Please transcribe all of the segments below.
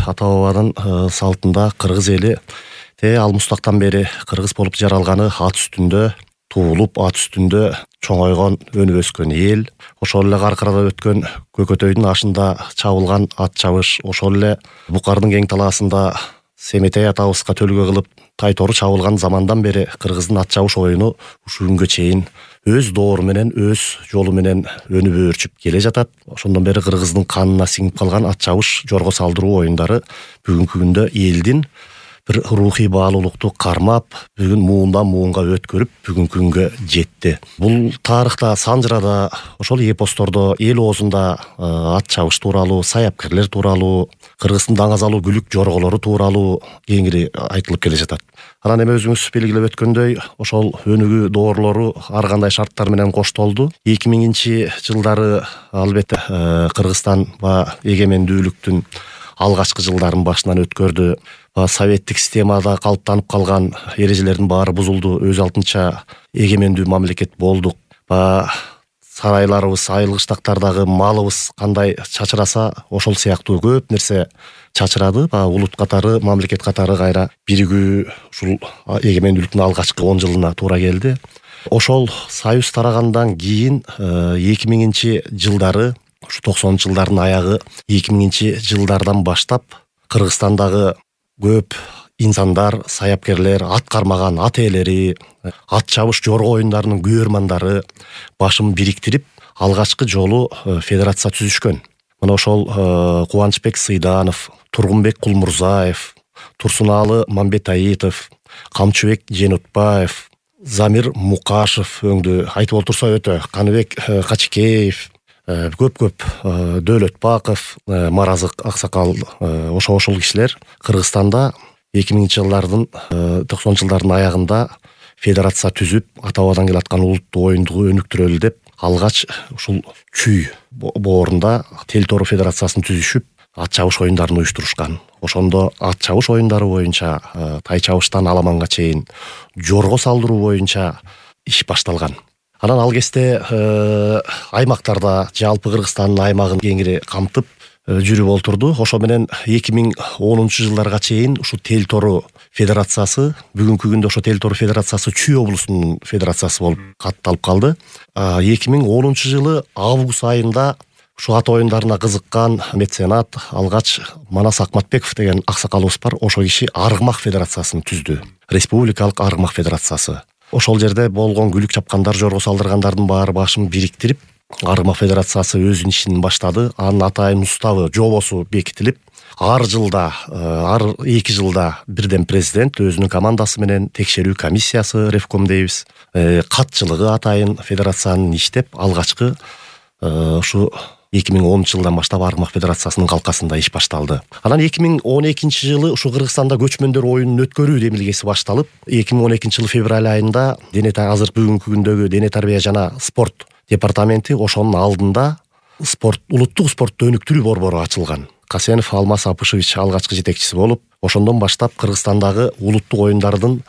ата бабанын салтында кыргыз эли ал мустактан бери кыргыз болуп жаралганы ат үстүндө туулуп, ат үстүндө чоңойгон, өнүп өскөн эл. Ошол эле каркырада өткөн көкөтөйдүн ашында чабылган ат чабыш, ошол эле Букардын кең талаасында Семетей атабызга төлгө кылып Тайтору чабылган замандан бери кыргыздын ат чабыш оюну ушул күнгө чейин өз доору менен, өз жолу менен өнүп өөрчүп келе жатат. Ошондон бери кыргыздын канына сиңип калган ат чабыш, жорго салдыруу оюндары бүгүнкү күндө элдин бир рухий баалуулукту кармап, бүгүн муундан муунга өткөрүп, бүгүнкү күнгө жетти. Бул тарыхта, санжырада, ошол эпостордо, эл оозунда ат чабыш тууралуу, саяпкерлер тууралуу, кыргыздын даңазалуу күлүк жорголору тууралуу кеңири айтылып келе жатат. Анан эми өзүңүз белгилеп өткөндөй, ошол өнүгүү доорлору ар кандай шарттар менен коштолду. 2000-жылдары албетте Кыргызстан эгемендүүлүктүн алгачкы жылдарын башынан өткөрдү. Советтик системада калыптанып калган эрежелердин баары бузулду. Өз алдынча эгемендүү мамлекет болдук. Сарайларыбыз, айылгыштактардагы малыбыз кандай чачыраса, ошол сыяктуу көп нерсе чачырады. Улут катары, мамлекет катары кайра биригүү ушул эгемендүүлүктүн алгачкы 10 жылына туура келди. Ошол союз тарагандан кийин 2000-жылдары, ушу 90-жылдардын аягы, 2000-жылдардан баштап Кыргызстандагы көп инсандар, саяпкерлер, ат кармаган ат ээлери, ат чабыш жорго оюндарынын күйөрмандары башын бириктирип, алгачкы жолу федерация түзүшкөн. Мына ошол Кубанычбек Сыйданов, Тургунбек Кулмурзаев, Турсунаалы Мамбетаитов, Камчыбек Женутбаев, Замир Мукашев өңдү айтып отурса өтө, Каныбек Качкеев, көп Дөөлөтбаков, Маразык Аксакал, ошол кишилер Кыргызстанда 2000-жылдардын 90-жылдардын аягында федерация түзүп, ата бабадан келаткан улуттуу оюнду өнүктүрөлү деп, алгач ушул Чүй боорунда Тел-Тору федерациясын түзүшүп, ат чабыш оюндарын уюштурушкан. Ошондо ат чабыш оюндары боюнча, тай чабыштан аламанга чейин жорго салдыруу боюнча иш башталган. Анан ал кезде аймактарда жалпы Кыргызстандын аймагын кеңири камтып жүрүп олтурду. Ошо менен 2010-жылдарга чейин ушу Тел-Тору федерациясы, бүгүнкү күндө ошо Тел-Тору федерациясы Чүй облусунун федерациясы болуп катталып калды. 2010-жылы август айында ушу ат оюндарына кызыккан меценат алгач Манас Акматбеков деген аксакалыбыз бар. Ошол киши Аргымак федерациясын түздү. Республикалык Аргымак федерациясы. Ошол жерде болгон күлүк чапкандар, жорго салдыргандардын баары башын бириктирип, Аргымак федерациясы өзүнүн ишин баштады. Анын атайын уставы, жобосу бекитилип, ар 2 жылда бирден президент өзүнүн командасы менен текшерүү комиссиясы, ревком дейбиз, катчылыгы атайын федерациянын иштеп, алгачкы ушу 2010-жылдан баштап Аргымак федерациясынын калкасында иш башталды. Анан 2012-жылы ушу Кыргызстанда көчмөндөр оюнун өткөрүү демилгеси башталып, 2012-жылы февраль айында азыр бүгүнкү күндөгү Дене тарбия жана спорт департаменти ошонун алдында улуттук спортту өнүктүрүү борбору ачылган. Касенов Алмаз Апышевич алгачкы жетекчиси болуп, ошондон баштап Кыргызстандагы улуттук оюндардын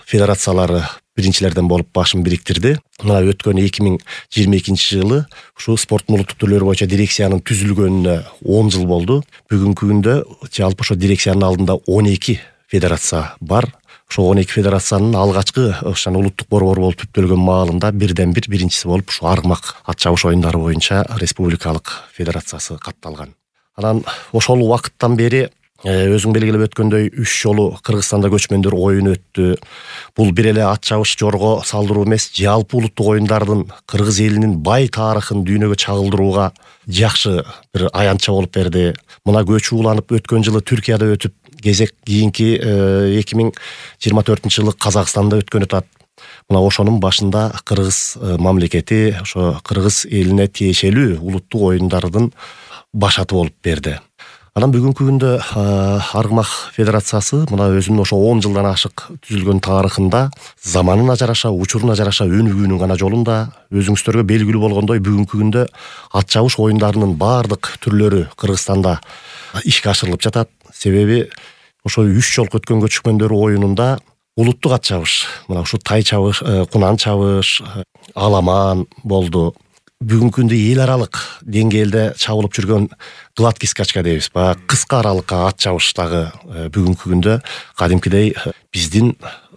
федерациялары биринчилерден болуп башын бириктирди. Мына өткөн 2022-жылы ушу спорттун улуттук түрлөрү боюнча дирекциянын түзүлгөнүнө 10 жыл болду. Бүгүнкү күндө жалпы ошо дирекциянын алдында 12 федерация бар. Ошо 12 федерациянын алгачкы улуттук борбор болуп түптөлгөн маалында биринчиси болуп ушу Аргымак ат чабыш оюндары боюнча республикалык федерациясы катталган. Анан ошол убакыттан бери өзүң белгилеп өткөндөй 3 жолу Кыргызстанда көчмөндөр оюну өттү. Бул бир эле ат чабыш жорго салдыруу эмес, жалпы улуттук оюндардын кыргыз элинин бай тарыхын дүйнөгө чагылдырууга жакшы бир аянтча болуп берди. Мына көчү уланып өткөн жылы Түркияда өтүп, кезек кийинки 2024-жылы Казакстанда өткөн атат. Мына ошонун башында кыргыз мамлекети, ошо кыргыз элине тиешелүү улуттук оюндардын башаты болуп берди. Анан бүгүнкү күндө Аргымак федерациясы мына өзүнүн ошо 10 жылдан ашык түзүлгөн тарыхында заманына жараша, учуруна жараша өнүгүүнүн гана жолунда, өзүңүздөргө белгилүү болгондой бүгүнкү күндө ат чабыш оюндарынын баардык түрлөрү Кыргызстанда ишке ашырылып жатат. Себеби ошо 3 жолку өткөн көчмөндөр оюнунда улуттук ат чабыш, мына ушу тай чабыш, кунан чабыш, аламан болду. бүгүнкү күндө эл аралык деңгээлде чабылып жүргөн гладкий скачка дейбиз, баягы кыска аралыкка ат чабыш дагы бүгүнкү күндө кадимкидей биздин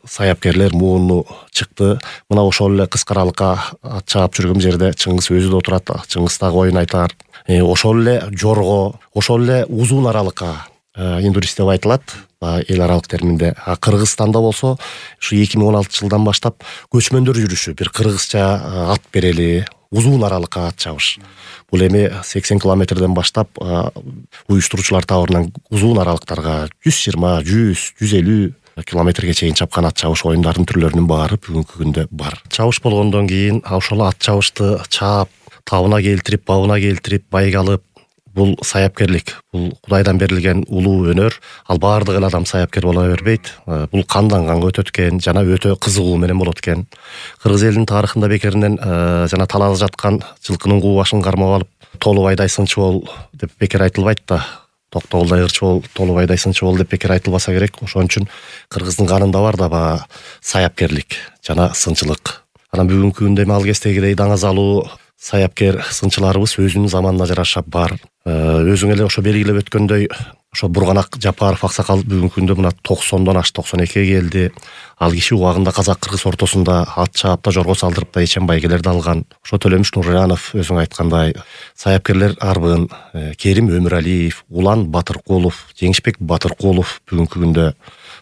саяпкерлер мууну чыкты. Мына ошол эле кыска аралыкка ат чаап жүргөн жерде Чыңгыз өзү да отурат, Чыңгыз дагы оюн айтар. Ошол эле жорго, ошол эле узун аралыкка индурис деп айтылат эл аралык терминде. Кыргызстанда болсо ушу 2016 жылдан баштап көчмөндөр жүрүшү, бир кыргызча ат берели, узун аралыкка ат чабыш. Бул эми 80 километрден баштап уюштуруучулар табарынан узун аралыктарга 120, 100, 150 километрге чейин чапкан ат чабыш оюндарынын түрлөрүнүн баары бүгүнкү күндө бар. Чабыш болгондон кийин ошол ат чабышты чаап, табына келтирип, бабына келтирип, байгалып, бул саяпкерлик, бул Кудайдан берилген улуу өнөр. Ал баардык эле адам саяпкер боло бербейт. Бул кандан канга өтөт экен, жана өтө кызыгуу менен болот экен. Кыргыз элинин тарыхында бекеринен жана талаада жаткан жылкынын куу башын кармап алып, Толубайдай сынчы бол деп бекер айтылбайт да. Токтогулдай ырчы бол, Толубайдай сынчы бол деп бекер айтылбаса керек. Ошон үчүн кыргыздын канында бар да саяпкерлик жана сынчылык. Анан бүгүнкү күндө ал кездегидей даңазалуу саяпкер сынчыларыбыз өзүнүн заманына жараша бар. Өзүң эле ошо белгилеп өткөндөй, ошо Бурганак Жапаров аксакал бүгүнкү күндө мына 90дон ашты, 92ге келди. Ал киши убагында казак-кыргыз ортосунда ат чаап да, жорго салдырып да ичен байгелерди алган. Ошо Төлөмүш Нуржанов өзүң айткандай саяпкерлер арбын, Керим Өмүралиев, Улан Батыркулов, Жеңишбек Батыркулов бүгүнкү күндө,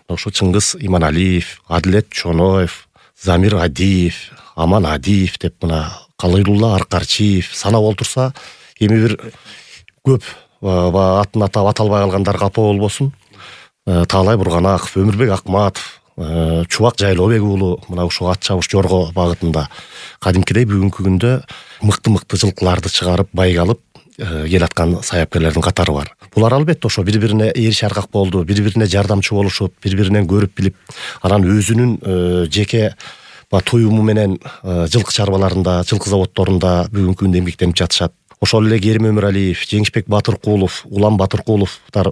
ошо Чыңгыз Иманалиев, Адилет Чоноев, Замир Адиев, Аман Адиев деп мына Калыйлулла Аркарчиев санап олтурса, эми бир көп атын атап аталбай калгандар капа болбосун. Таалай Бурганаков, Өмүрбек Акматов, Чубак Жайлообек уулу мына ушул ат чабыш жорго багытында кадимкидей бүгүнкү күндө мыкты жылкыларды чыгарып, байгалып келаткан саяпкерлердин катары бар. Булар албетте ошо бири-бирине ээриш аркак болду, бири-бирине жардамчы болушуп, бири-биринен көрүп билип, анан өзүнүн жеке туюму менен жылкы чарбаларында, жылкы заводдорунда бүгүнкү күндө эмгектенип жатышат. Ошол эле Керим Өмүралиев, Жеңишбек Батыркулов, Улан Батыркуловдор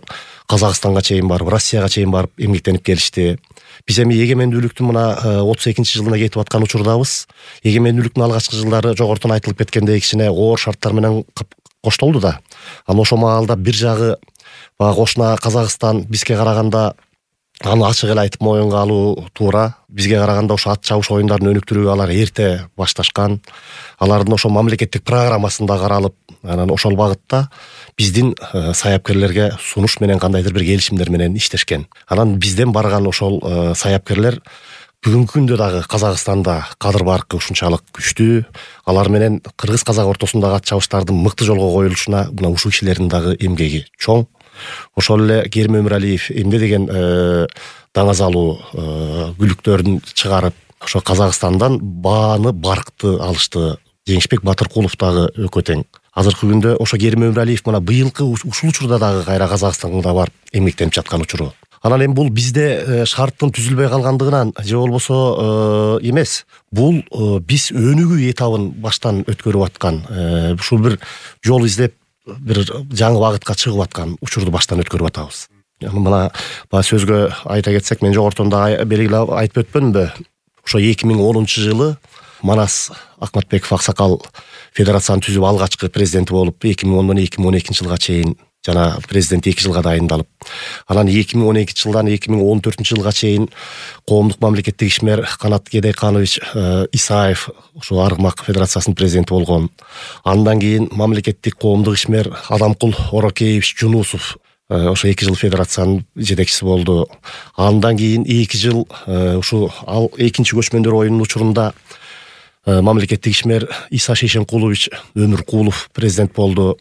Казакстанга чейин барып, Россияга чейин барып эмгектенип келишти. Биз эми эгемендүүлүктүн мына 32-жылына кетип аткан учурдабыз. Эгемендүүлүктүн алгачкы жылдары жогортон айтылып кеткендей кичине оор шарттар менен коштолду да. Анан ошол маалда бир жагы кошуна Казакстан бизге караганда аны ачык эле айтып моюнга алуу туура. Бизге караганда ошо ат чабыш оюндарын өнүктүрүүгө алар эрте башташкан. Алардын ошо мамлекеттик программасында каралып, анан ошол багытта биздин саяпкерлерге сунуш менен кандайдыр бир келишимдер менен иштешкен. Анан бизден барган ошол саяпкерлер бүгүнкү күндө дагы Казакстанда кадыр баркы ушунчалык күчтүү. Алар менен кыргыз-казак ортосундагы ат чабыштардын мыкты жолго коюлушуна мына ушул кишилердин дагы эмгеги чоң. Ошол эле Керим Өмүралиев эмне деген даңазалуу күлүктөрүн чыгарып, ошо Казакстандан бааны баркты алышты. Жеңишбек Батыркулов дагы өкө тең. Азыркы күндө ошо Керим Өмүралиев мына быйылкы ушул учурда дагы кайра Казакстанга барып эмгектенип жаткан учуру. Анан эми бул бизде шарттын түзүлбөй калгандыгынан же болбосо эмес. Бул биз өнүгүү этабын баштан өткөрүп аткан, ушул бир жол издеп бир жаңы багытка чыгып аткан учурду баштан өткөрүп атабыз. Мына сөзгө айта кетсек, мен жогортон да белгилеп айтып өтпөмбү? Ошо 2010-жылы Манас Акматбеков аксакал федерацияны түзүп алгачкы президенти болуп, 2010-дон 2012 жылга чейин жана президент 2 жылга дайындалып, анан 2012 жылдан 2014 жылга чейин коомдук мамлекеттик ишмер Канат Кедейканович Исаев ошо Аргымак федерациясынын президенти болгон. Андан кийин мамлекеттик коомдук ишмер Адамкул Орокеевич Жунусов ошо 2 жыл федерациянын жетекчиси болду. Андан кийин 2 жыл ушу ал экинчи көчмөндөр оюнунун учурунда мамлекеттик ишмер Иса Шейшенкулович Өмүркулов президент болду.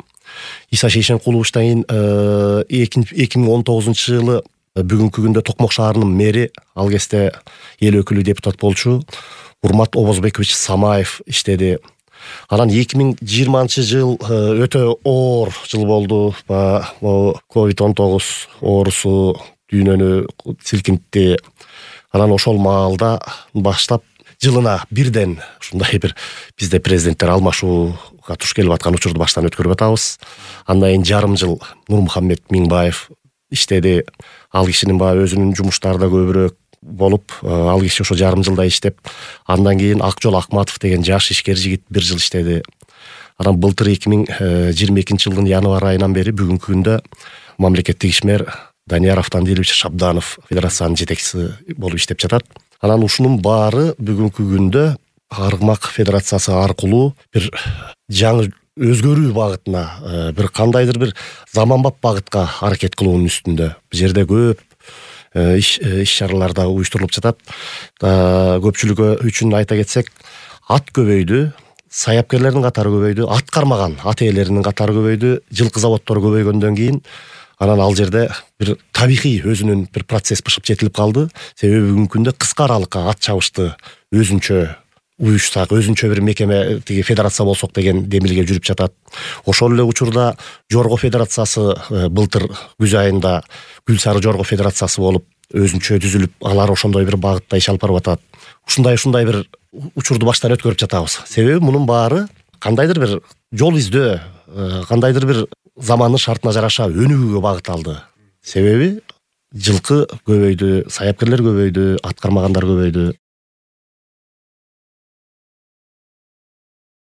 Иса Шейшенкуловичтан кийин 2019 жылы бүгүнкү күндө Токмок шаарынын мэри, ал кезде эл өкүлү депутат болчу Урмат Обозбекович Самаев иштеди. Анан 2020 жыл өтө оор жыл болду. COVID-19 оорусу дүйнөнү силкинтти. Анан ошол маалда баштап жылына бирден ушундай бир бизде президенттер алмашууга туш келип аткан учурду баштан өткөрүп атабыз. Андан кийин жарым жыл Нурмухаммед Миңбаев иштеди. Ал кишинин өзүнүн жумуштары да көбүрөөк болуп, ал киши ошо жарым жылда иштеп, андан кийин Акжол Акматов деген жаш ишкер жигит 1 жыл иштеди. Анан былтыр 2022 январь айынан бери бүгүнкү күндө мамлекеттик ишмер Данияр Автандилович Шабданов федерациянын жетекчиси болуп иштеп жатат. Анан ушунун баары бүгүнкү күндө Аргымак федерациясы аркылуу бир жаңы өзгөрүү багытына, бир кандайдыр бир заманбап багытка аракет кылуунун үстүндө. Бул жерде көп иш-чаралар да уюштурулуп жатат. Көпчүлүгү үчүн айта кетсек, ат көбөйдү, саяпкерлердин катары көбөйдү, ат кармаган ат ээлеринин катары көбөйдү, жылкы заводдору көбөйгөндөн кийин анан ал жерде бир табигый өзүнүн бир процесс бышып жетилип калды. Себеби бүгүнкү күндө кыска аралыкка ат чабышты өзүнчө уюшсак, өзүнчө бир мекеме, тиги федерация болсок деген демилге жүрүп жатат. Ошол эле учурда Жорго федерациясы былтыр күз айында Гүл Сары Жорго федерациясы болуп өзүнчө түзүлүп, алар ошондой бир багытта иш алып барып атат. Ушундай бир учурду баштан өткөрүп жатабыз. Себеби мунун баары кандайдыр бир жол издөө, кандайдыр бир замандын шартына жараша өнүгүүгө багыт алды. Себеби жылкы көбөйдү, саяпкерлер көбөйдү, ат кармагандар көбөйдү.